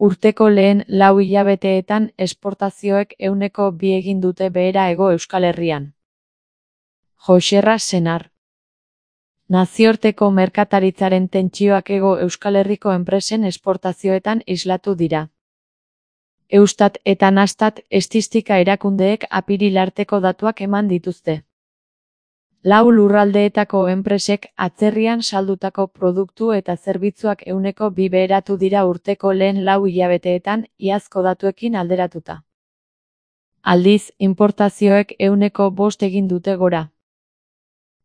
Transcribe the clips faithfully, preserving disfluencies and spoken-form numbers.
Urteko lehen lau hilabeteetan esportazioek ehuneko bi egin dute behera Hego Euskal Herrian. Joxerra Senar. Nazioarteko merkataritzaren tentsioak Hego Euskal Herriko enpresen esportazioetan islatu dira. Eustat eta Nastat estatistika erakundeek apiril arteko datuak eman dituzte. Lau lurraldeetako enpresek atzerrian saldutako produktu eta zerbitzuak ehuneko bi beheratu dira urteko lehen lau hilabeteetan iazko datuekin alderatuta. Aldiz, inportazioek ehuneko bost egin dute gora.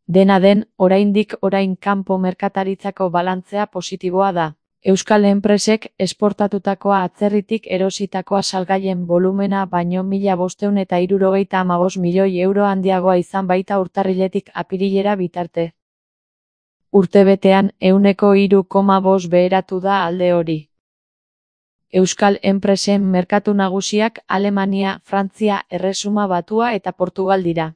Dena den, oraindik orain kanpo merkataritzako balantzea positiboa da. Euskal enpresek esportatutakoa atzerritik erositakoa salgaien volumena baino mila bostehun eta hirurogeita hamabost milioi euro handiagoa izan baita urtarriletik apirilera bitarte. Urtebetean ehuneko hiru koma bost beheratu da alde hori. Euskal enpresen merkatu nagusiak Alemania, Frantzia, Erresuma Batua eta Portugal dira.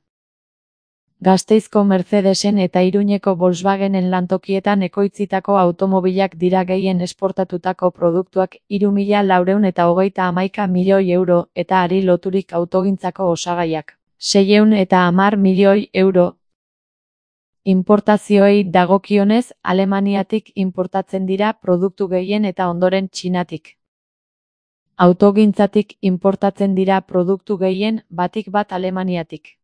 Gasteizko Mercedesen eta Iruñeko Volkswagenen lantokietan ekoitzitako automobilak dira gehien esportatutako produktuak hiru mila laurehun eta hogeita hamaika milioi euro eta hari loturik autogintzako osagaiak seiehun eta hamar milioi euro. Inportazioei dagokionez, Alemaniatik inportatzen dira produktu gehien eta ondoren Txinatik. Autogintzatik inportatzen dira produktu gehien, batik bat Alemaniatik.